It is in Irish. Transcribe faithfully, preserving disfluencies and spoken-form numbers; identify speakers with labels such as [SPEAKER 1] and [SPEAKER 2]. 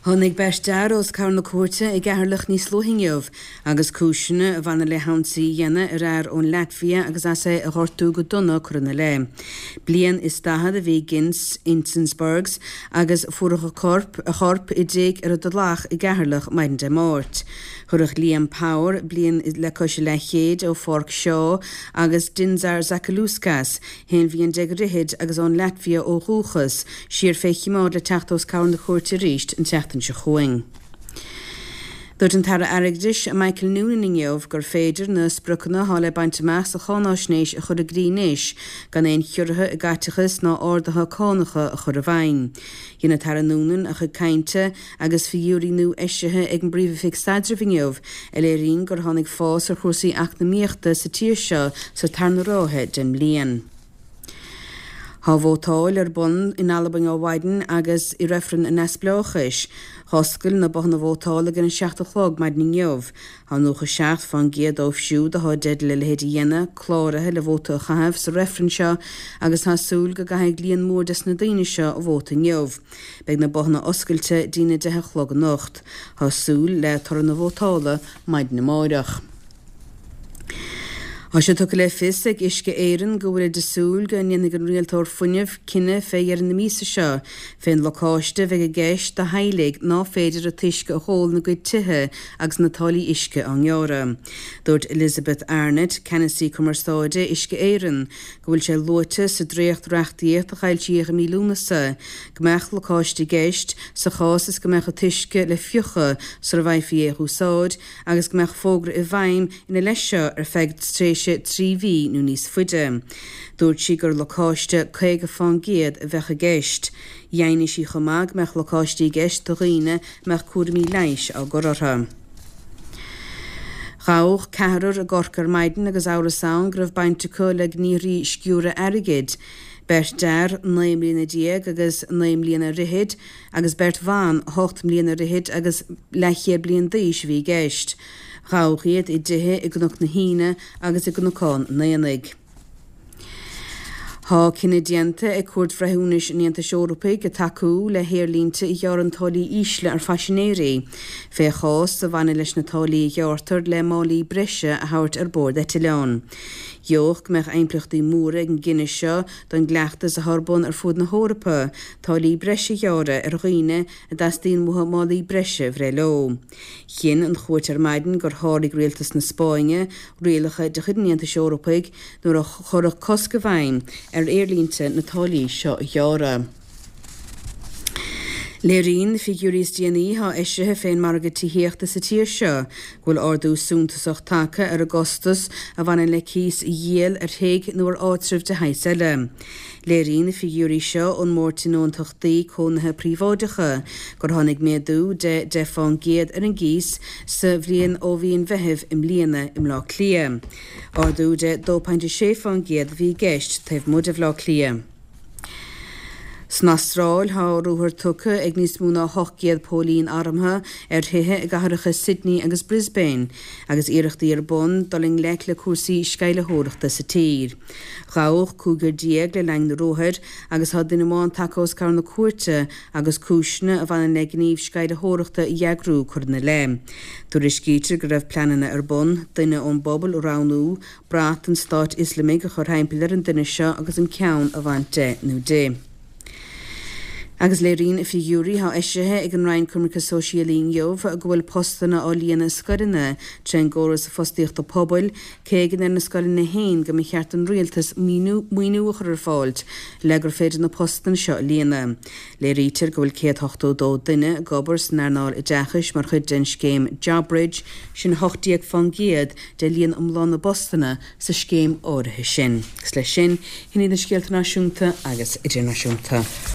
[SPEAKER 1] Tháinig beirt fhear os comhair na cúirte i gCeatharlach níos luaithe inniu agus cúiseanna a bhaineann le hionsaí a dhéanamh ar fhear ón Laitvia agus as é a ghortú go dona curtha ina leith. Bliain is daichead a bhí Gints Insenbergs agus fuarthas a chorp a chorp i dtigh ar an dTulach i gCeatharlach maidin Dé Máirt. Cuireadh Liam Power, bliain le cois a leathchéid ó Pháirc Shaw agus Dinzar Zakalauskas, haon bhliain déag ar fhichid agus ón Laitvia ó dhúchas, siar fé chimeád le teacht os comhair na cúirte arís an tseachtain seo chugainn. Dúirt an tAire Airgeadais Michael Noonan inniu gur féidir na spriocanna atá le baint amach sa cháinaisnéis a chur i gcrích anois gan aon chiorruithe i gcaiteachas ná arduithe cánacha a chur i bhfeidhm. Dhein an tAire Noonan a chuid cainte agus figiúirí nua eisithe ag an bPríomh-Oifig Staidrimh inniu a léiríonn gur tháinig fás ar chúrsaí eacnamaíochta sa tír seo sa tarna ráithe den mbliain. Tá vótáil ar bun in Albain ó mhaidin agus i reifreann an neamhspleáchais. Dh'oscail na bothanna vótála ag an seacht a chlog maidin inniu. Tá nócha seacht fán gcéad dóibh siúd atá i dteideal a leithéid a dhéanamh cláraithe le vóta a chaitheamh sa reifreann seo agus tá súil go gcaithfidh líon mór des na daoine seo a vóta inniu. Beidh na bothanna oscailte dtína deich a chlog anocht. Tá súil le toradh na vótála maidin amárach. Tá sé tugtha le fios ag Uisce Éireann go bhfuilid ag súil go ndéanfaidh an rialtóir fuinnimh cinneadh fé dheireadh na míosa seo fén lacáiste a bheidh i gceist do theaghlaigh ná féidir an t-uisce a dh'ól ina gcuid tithe agus na táillí uisce á ngearradh. Dúirt Elizabeth Arnott, Ceannasaí Cumarsáide Uisce Éireann, go bhfuil sé luaite sa dréacht-reachtaíocht a foilsíodh i mí Lúnasa go mbeadh lacáiste i gceist sa chás is go mbeadh an t-uisce le fiuchadh sara bhfaighfí é a úsáid agus go mbeadh fógra i bhfeidhm ina leith seo ar feadh tréimhse trí mhí nó níos faide. Dúirt sí gur lacáiste caoga fán gcéad a bheadh i gceist. Dheimhnigh sí chomh maith go mbeadh lacáistí i gceist do dhaoine a mbeadh cúraimí leighis á gcur orthu. Gabhadh ceathrar i gCorcaigh ar maidin agus amhras ann go raibh baint acu le gníomhartha sciúradh airgid. Beirt fhear, naoi mbliana déag agus naoi mbliana ar fhichid, agus beirt bhan, ocht mbliana ar fhichid agus leathchéad bliain d'aois a bhí i gceist. Gabhadh iad i dtithe i gCnoc na hAoine agus i gCnocán an Aonaigh. Tá cinneadh déanta ag Cúirt Bhreithiúnais an Aontais Eorpaigh tacú le haerlínte a ghearrann táillí ísle ar phaisinéirí, fé chás a bhaineann leis na táillí a ghearrtar le málaí breise a thabhairt ar bord eitleán. Gheobhadh go mbeadh impleachtaí móra ag an gcinneadh seo don gcleachtas atá ar bun ar fud na hEorpa, táillí breise a ghearradh ar dhaoine a dteastaíonn uathu málaí breise a bhreith leo. Chinn an chúirt ar maidin gur sháraigh rialtas na Spáinne rialacha de chuid an Aontais Eorpaigh nuair a cuireadh cosc i bhfeidhm ar aerlínte na táillí seo a ghearradh. Léiríonn na figiúirí is déanaí atá eisithe fén margadh tithíochta sa tír seo go bhfuil ardú suntasach tagtha ar an gcostas a bhaineann le cíos a dhíol ar thigh nó ar áitreabh de shaghas eile. Léiríonn na figiúirí seo ón mBord Tionóntachtaí Cónaithe Príobháideacha gur tháinig méadú de deich fán gcéad ar an gcíos sa bhliain ó mhí an Mheithimh i mbliana i mBleá Cliath. Ardú de dó pointe sé fán gcéad a bhí i gceist taobh amuigh de Bhleá Cliath. San Astráil, tá ruathar tugtha ag níos mó ná ocht gcéad póilín armtha ar thithe i gcathracha Sydney agus Brisbane agus iarrachtaí ar bun dul i ngleic le cúrsaí sceimhlitheoireachta sa tír. Gabhadh cúigear déag le linn na ruathair agus tá duine amháin tagtha os comhair na cúirte agus cúiseanna a bhaineann le gníomh sceimhlitheoireachta a eagrú curtha ina leith. Tuairiscítear go raibh pleananna ar bun duine ón bpobal a roghnú, brat an Stáit Ioslamaigh a chur thimpeall ar an duine seo agus an ceann a bhaint de nó di. Agus léiríonn figiúirí atá eisithe ag an Roinn Coimirce Sóisialaí inniu go bhfuil postanna á líonadh i scoileanna trén gcóras fostaíochta pobail, cé go ndeir na scoileanna féin go mba cheart don rialtas maoiniú a chur ar fáil le gur féidir na postanna seo a líonadh. Léirítear go bhfuil céad ochtó dó duine ag obair san earnáil oideachais mar chuid den scéim JobBridge, sin hocht déag fán gcéad de líon iomlán na bpostanna sa scéim áirithe sin. Agus leis sin, sin iad na scéalta náisiúnta agus idirnáisiúnta.